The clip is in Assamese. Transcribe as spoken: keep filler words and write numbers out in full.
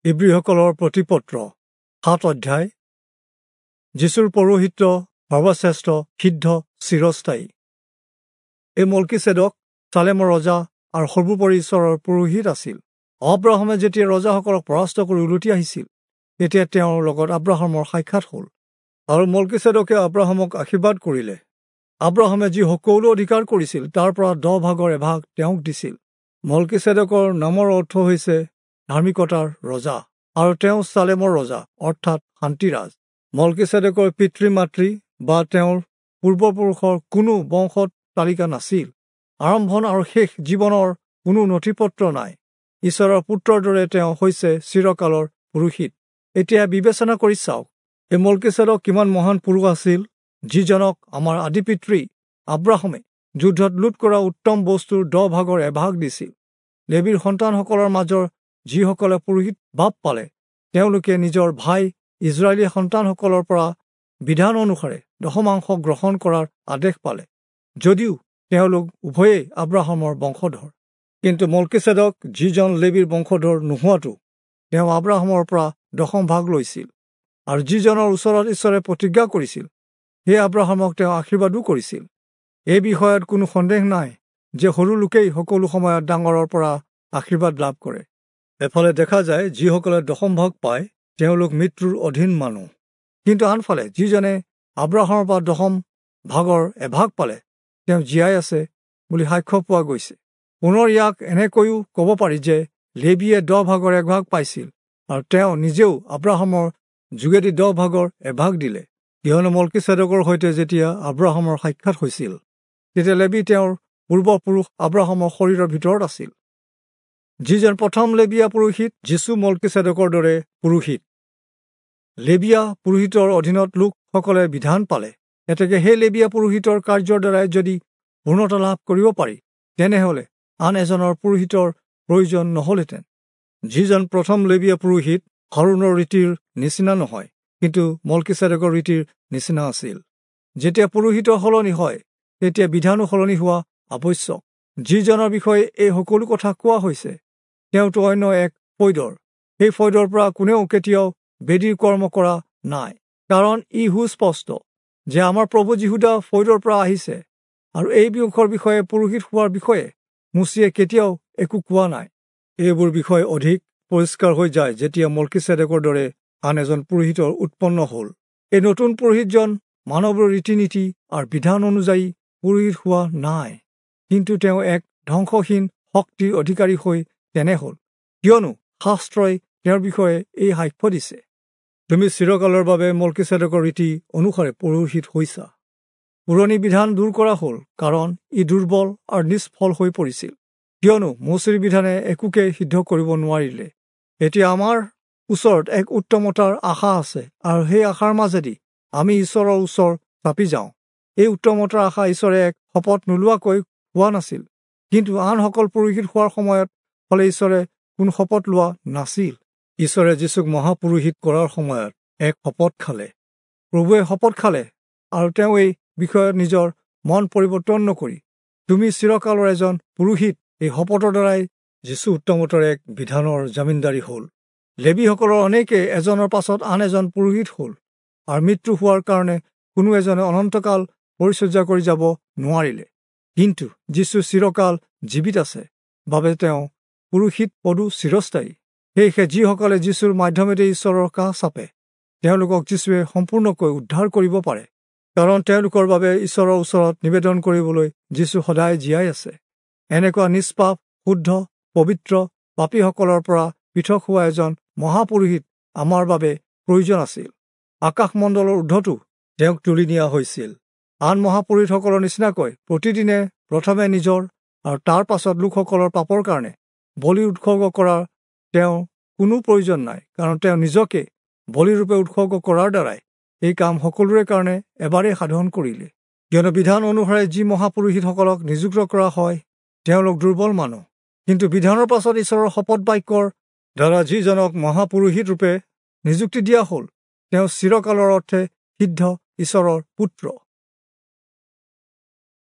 ইব্ৰীসকলৰ প্ৰতিপত্ৰ সাত অধ্যায়। যীশুৰ পৌৰোহিত্য সৰ্বশ্ৰেষ্ঠ, সিদ্ধ, চিৰস্থায়ী। এই মল্কিচেদক চালেমৰ ৰজা আৰু সৰ্বোপৰি ঈশ্বৰৰ পুৰোহিত আছিল। আব্ৰাহামে যেতিয়া ৰজাসকলক পৰাস্ত কৰি উলটি আহিছিল, তেতিয়া তেওঁৰ লগত আব্ৰাহামৰ সাক্ষাৎ হ'ল আৰু মল্কিচেদকে আব্ৰাহামক আশীৰ্বাদ কৰিলে। আব্ৰাহামে যি সকলো অধিকাৰ কৰিছিল, তাৰ পৰা দহ ভাগৰ এভাগ তেওঁক দিছিল। মল্কিচেদকৰ নামৰ অৰ্থ হৈছে ধাৰ্মিকতাৰ ৰজা, আৰু তেওঁ চালেমৰ ৰজা, অৰ্থাৎ শান্তিৰাজ। মল্কিচেদকৰ পিতৃ মাতৃ বা তেওঁৰ পূৰ্বপুৰুষৰ কোনো বংশত তালিকা নাছিল। আৰম্ভণ আৰু শেষ জীৱনৰ কোনো নথিপত্ৰ নাই। ঈশ্বৰৰ পুত্ৰৰ দৰে তেওঁ হৈছে চিৰকালৰ পুৰোহিত। এতিয়া বিবেচনা কৰি চাওক, এই মল্কিচেদক কিমান মহান পুৰুষ আছিল, যিজনক আমাৰ আদি পিতৃ আব্ৰাহামে যুদ্ধত লুট কৰা উত্তম বস্তুৰ দহ ভাগৰ এভাগ দিছিল। লেবীৰ সন্তানসকলৰ মাজৰ যিসকলে পুৰোহিত ভাৱ পালে, তেওঁলোকে নিজৰ ভাই ইজৰাইলী সন্তানসকলৰ পৰা বিধান অনুসাৰে দশমাংশ গ্ৰহণ কৰাৰ আদেশ পালে, যদিও তেওঁলোক উভয়েই আব্ৰাহামৰ বংশধৰ। কিন্তু মল্কিচেদক যিজন লেবীৰ বংশধৰ নোহোৱাটো, তেওঁ আব্ৰাহামৰ পৰা দশম ভাগ লৈছিল, আৰু যিজনৰ ওচৰত ঈশ্বৰে প্ৰতিজ্ঞা কৰিছিল, সেই আব্ৰাহামক তেওঁ আশীৰ্বাদো কৰিছিল। এই বিষয়ত কোনো সন্দেহ নাই যে সৰু লোকেই সকলো সময়ত ডাঙৰৰ পৰা আশীৰ্বাদ লাভ কৰে। এফালে দেখা যায় যিসকলে দশম ভাগ পায় তেওঁলোক মৃত্যুৰ অধীন মানুহ, কিন্তু আনফালে যিজনে আব্ৰাহামৰ পৰা দশম ভাগৰ এভাগ পালে, তেওঁ জীয়াই আছে বুলি সাক্ষ্য পোৱা গৈছে। পুনৰ ইয়াক এনেকৈও ক'ব পাৰি যে লেবীয়ে দহ ভাগৰ এভাগ পাইছিল, আৰু তেওঁ নিজেও আব্ৰাহামৰ যোগেদি দহ ভাগৰ এভাগ দিলে। কিয়নো মল্কিচেদকৰ সৈতে যেতিয়া আব্ৰাহামৰ সাক্ষাৎ হৈছিল, তেতিয়া লেবী তেওঁৰ পূৰ্বপুৰুষ আব্ৰাহামৰ শৰীৰৰ ভিতৰত আছিল। যিজন প্ৰথম লেবীয়া পুৰোহিত, যীশু মল্কিচেদকৰ দৰে পুৰোহিত। লেবীয়া পুৰোহিতৰ অধীনত লোকসকলে বিধান পালে। এতেকে সেই লেবীয়া পুৰোহিতৰ কাৰ্যৰ দ্বাৰাই যদি পূৰ্ণতা লাভ কৰিব পাৰি, তেনেহ'লে আন এজনৰ পুৰোহিতৰ প্ৰয়োজন নহ'লহেঁতেন। যিজন প্ৰথম লেবীয়া পুৰোহিত হাৰোণৰ ৰীতিৰ নিচিনা নহয়, কিন্তু মল্কিচেদকৰ ৰীতিৰ নিচিনা আছিল। যেতিয়া পুৰোহিতৰ সলনি হয়, তেতিয়া বিধানো সলনি হোৱা আৱশ্যক। যিজনৰ বিষয়ে এই সকলো কথা কোৱা হৈছে, তেওঁতো অন্য এক ফৈদৰ। সেই ফৈদৰ পৰা কোনেও কেতিয়াও বেদীৰ কৰ্ম কৰা নাই, কাৰণ ই সুস্পষ্ট যে আমাৰ প্ৰভু যীহুদা ফৈদৰ পৰা আহিছে, আৰু এই বংশৰ বিষয়ে পুৰোহিত হোৱাৰ বিষয়ে মোচিয়ে কেতিয়াও একো কোৱা নাই। এইবোৰ বিষয় অধিক পৰিষ্কাৰ হৈ যায় যেতিয়া মল্কিচেদকৰ দৰে আন এজন পুৰোহিতৰ উৎপন্ন হ'ল। এই নতুন পুৰোহিতজন মানৱৰ ৰীতি নীতি আৰু বিধান অনুযায়ী পুৰোহিত হোৱা নাই, কিন্তু তেওঁ এক ধ্বংসহীন শক্তিৰ অধিকাৰী হৈ তেনে হ'ল, কিয়নো শাস্ত্ৰই তেওঁৰ বিষয়ে এই সাক্ষ্য দিছে, তুমি চিৰকালৰ বাবে মল্কিচেদকৰ ৰীতি অনুসাৰে পুৰোহিত হৈছা। পুৰণি বিধান দূৰ কৰা হ'ল, কাৰণ ই দুৰ্বল আৰু নিষ্ফল হৈ পৰিছিল, কিয়নো মোচিৰ বিধানে একোকে সিদ্ধ কৰিব নোৱাৰিলে। এতিয়া আমাৰ ওচৰত এক উত্তমতাৰ আশা আছে, আৰু সেই আশাৰ মাজেদি আমি ঈশ্বৰৰ ওচৰ চাপি যাওঁ। এই উত্তমতাৰ আশা ঈশ্বৰে এক শপত নোলোৱাকৈ হোৱা নাছিল, কিন্তু আনসকল পুৰোহিত হোৱাৰ সময়ত হ'লে ঈশ্বৰে কোনো শপত লোৱা নাছিল। ঈশ্বৰে যীশুক মহাপুৰোহিত কৰাৰ সময়ত এক শপত খালে। প্ৰভুৱে শপত খালে, আৰু তেওঁ এই বিষয়ত নিজৰ মন পৰিৱৰ্তন নকৰি, তুমি চিৰকালৰ এজন পুৰোহিত, এই শপতৰ দ্বাৰাই যীশু উত্তমতাৰ এক বিধানৰ জামিনদাৰী হ'ল। লেবীসকলৰ অনেকে এজনৰ পাছত আন এজন পুৰোহিত হ'ল, আৰু মৃত্যু হোৱাৰ কাৰণে কোনো এজনে অনন্তকাল পৰিচৰ্যা কৰি যাব নোৱাৰিলে। কিন্তু যীশু চিৰকাল জীৱিত আছে বাবে তেওঁ পুৰোহিত পদো চিৰস্থায়ী। সেয়েহে যিসকলে যীশুৰ মাধ্যমেৰে ঈশ্বৰৰ কাষ চাপে, তেওঁলোকক যীশুৱে সম্পূৰ্ণকৈ উদ্ধাৰ কৰিব পাৰে, কাৰণ তেওঁলোকৰ বাবে ঈশ্বৰৰ ওচৰত নিবেদন কৰিবলৈ যীশু সদায় জীয়াই আছে। এনেকুৱা নিষ্পাপ, শুদ্ধ, পবিত্ৰ, পাপীসকলৰ পৰা পৃথক হোৱা এজন মহাপুৰোহিত আমাৰ বাবে প্ৰয়োজন আছিল। আকাশমণ্ডলৰ ঊৰ্ধতো তেওঁক তুলি নিয়া হৈছিল। আন মহাপুৰোহিতসকলৰ নিচিনাকৈ প্ৰতিদিনে প্ৰথমে নিজৰ আৰু তাৰ পাছত লোকসকলৰ পাপৰ কাৰণে বলি উৎসৰ্গ কৰাৰ তেওঁ কোনো প্ৰয়োজন নাই, কাৰণ তেওঁ নিজকে বলিৰূপে উৎসৰ্গ কৰাৰ দ্বাৰাই এই কাম সকলোৰে কাৰণে এবাৰেই সাধন কৰিলে। কিয়নো বিধান অনুসাৰে যি মহাপুৰোহিতসকলক নিযুক্ত কৰা হয়, তেওঁলোক দুৰ্বল মানুহ, কিন্তু বিধানৰ পাছত ঈশ্বৰৰ শপত বাক্যৰ দ্বাৰা যিজনক মহাপুৰোহিত ৰূপে নিযুক্তি দিয়া হ'ল, তেওঁ চিৰকালৰ অৰ্থে সিদ্ধ ঈশ্বৰৰ পুত্ৰ।